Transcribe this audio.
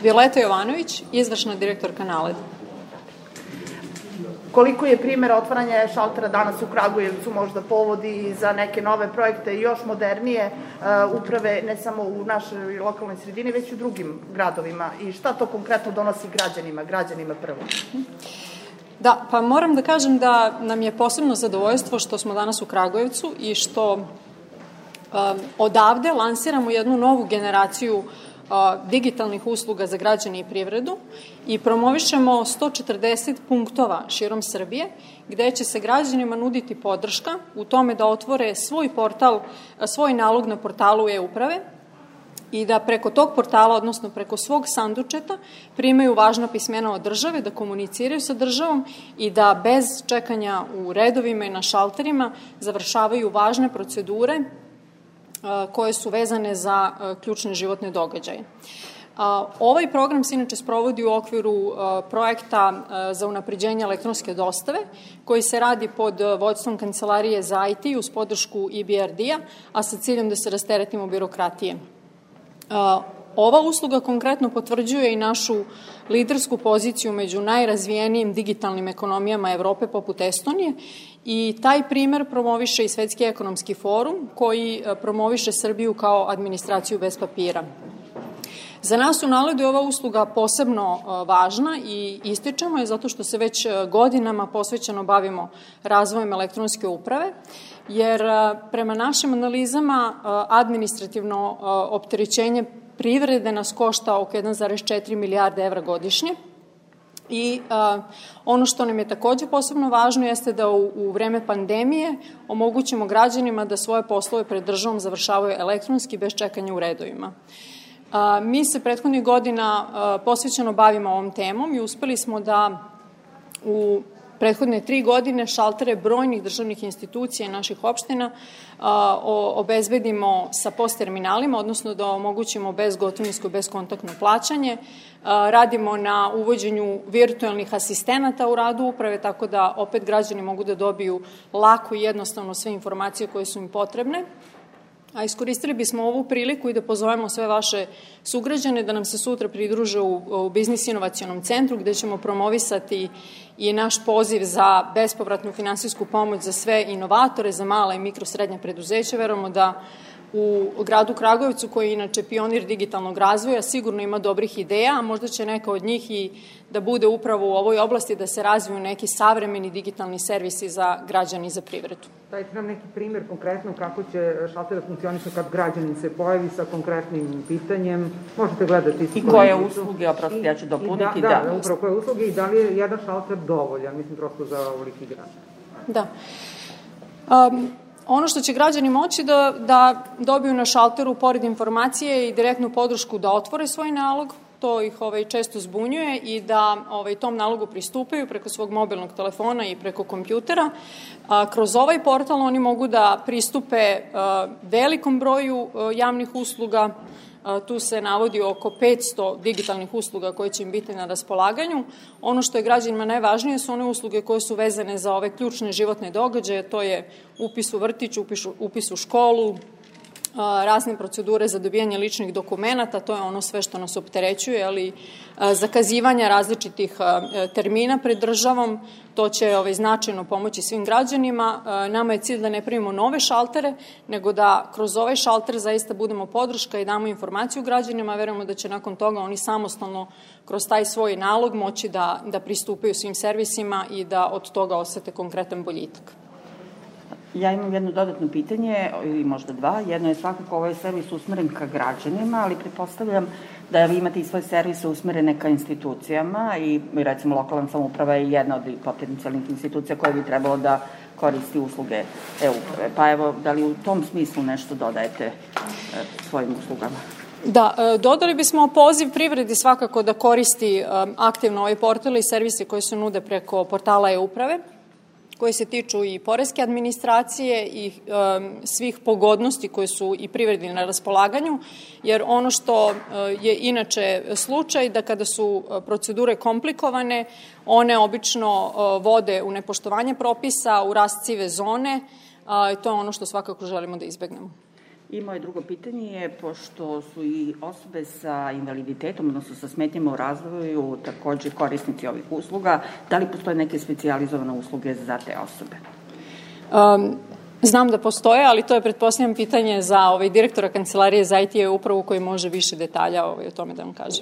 Violeta Jovanović, izvršna direktorka NALED. Koliko je primjera otvaranja šaltera danas u Kragujevcu možda povodi za neke nove projekte i još modernije uprave, ne samo u našoj lokalnoj sredini, već i u drugim gradovima? I šta to konkretno donosi građanima prvo? Da, pa moram da kažem da nam je posebno zadovoljstvo što smo danas u Kragujevcu i što odavde lansiramo jednu novu generaciju digitalnih usluga za građane i privredu i promovišemo 140 punktova širom Srbije gde će se građanima nuditi podrška u tome da otvore svoj nalog na portalu e-uprave i da preko tog portala, odnosno preko svog sandučeta, primaju važna pismena od države, da komuniciraju sa državom i da bez čekanja u redovima i na šalterima završavaju važne procedure koje su vezane za ključne životne događaje. Ovaj program se inače sprovodi u okviru projekta za unapređenje elektronske dostave, koji se radi pod vođstvom Kancelarije za IT uz podršku EBRD-a, a sa ciljem da se rasteretimo birokratije. Ova usluga konkretno potvrđuje i našu lidersku poziciju među najrazvijenijim digitalnim ekonomijama Evrope poput Estonije i taj primer promoviše i Svetski ekonomski forum koji promoviše Srbiju kao administraciju bez papira. Za nas u NALED-u je ova usluga posebno važna i ističemo je zato što se već godinama posvećeno bavimo razvojem elektronske uprave, jer prema našim analizama administrativno opterećenje privrede nas košta oko 1,4 milijarde evra godišnje. I ono što nam je takođe posebno važno jeste da u vreme pandemije omogućimo građanima da svoje poslove pred državom završavaju elektronski bez čekanja u redovima. Mi se prethodnih godina posvećeno bavimo ovom temom i uspeli smo da u prethodne 3 godine šaltere brojnih državnih institucija i naših opština obezbedimo sa POS terminalima, odnosno da omogućimo bezgotovinsko i bezkontaktno plaćanje. Radimo na uvođenju virtualnih asistenata u radu uprave, tako da opet građani mogu da dobiju lako i jednostavno sve informacije koje su im potrebne. A iskoristili bismo ovu priliku i da pozovemo sve vaše sugrađane da nam se sutra pridruže u Biznis inovacionom centru gde ćemo promovisati i naš poziv za bespovratnu finansijsku pomoć za sve inovatore, za mala i mikrosrednja preduzeća. Verujemo da u gradu Kragujevcu, koji je inače pionir digitalnog razvoja, sigurno ima dobrih ideja, a možda će neka od njih i da bude upravo u ovoj oblasti da se razviju neki savremeni digitalni servisi za građani i za privredu. Dajte nam neki primjer konkretno kako će šalter da funkcioniše kad građanin se pojavi sa konkretnim pitanjem. Možete gledati i koje usluge, oprosti, ja ću dopuniti. Da, upravo koje usluge i da li je jedan šalter dovoljan, mislim, prosto za ovoliki grad. Da. Ono što će građani moći da dobiju na šalteru pored informacije i direktnu podršku da otvore svoj nalog, to ih često zbunjuje, i da tom nalogu pristupaju preko svog mobilnog telefona i preko kompjutera. Kroz ovaj portal oni mogu da pristupe velikom broju javnih usluga. Tu se navodi oko 500 digitalnih usluga koje će im biti na raspolaganju. Ono što je građanima najvažnije su one usluge koje su vezane za ove ključne životne događaje, to je upis u vrtić, upis u školu, razne procedure za dobijanje ličnih dokumenata, to je ono sve što nas opterećuje, ali zakazivanja različitih termina pred državom, to će značajno pomoći svim građanima. Nama je cilj da ne pravimo nove šaltere, nego da kroz ovaj šalter zaista budemo podrška i damo informaciju građanima. Verujemo da će nakon toga oni samostalno kroz taj svoj nalog moći da pristupaju svim servisima i da od toga osete konkretan boljitak. Ja imam jedno dodatno pitanje, ili možda dva. Jedno je svakako ovaj servis usmeren ka građanima, ali pretpostavljam da vi imate i svoje servise usmerene ka institucijama i recimo lokalna samouprava je jedna od potencijalnih institucija koja bi trebalo da koristi usluge e-uprave. Pa evo, da li u tom smislu nešto dodajete svojim uslugama? Da, dodali bismo poziv privredi svakako da koristi aktivno ovaj portal i servise koji se nude preko portala e-uprave, koji se tiču i poreske administracije i svih pogodnosti koje su i privredi na raspolaganju, jer ono što je inače slučaj da kada su procedure komplikovane, one obično vode u nepoštovanje propisa, u rast sive zone, i to je ono što svakako želimo da izbegnemo. I moje drugo pitanje je, pošto su i osobe sa invaliditetom, odnosno sa smetnjama u razvoju, takođe korisnici ovih usluga, da li postoje neke specijalizovane usluge za te osobe? Znam da postoje, ali to je, pretpostavljam, pitanje za direktora Kancelarije za IT upravu koji može više detalja o tome da vam kaže.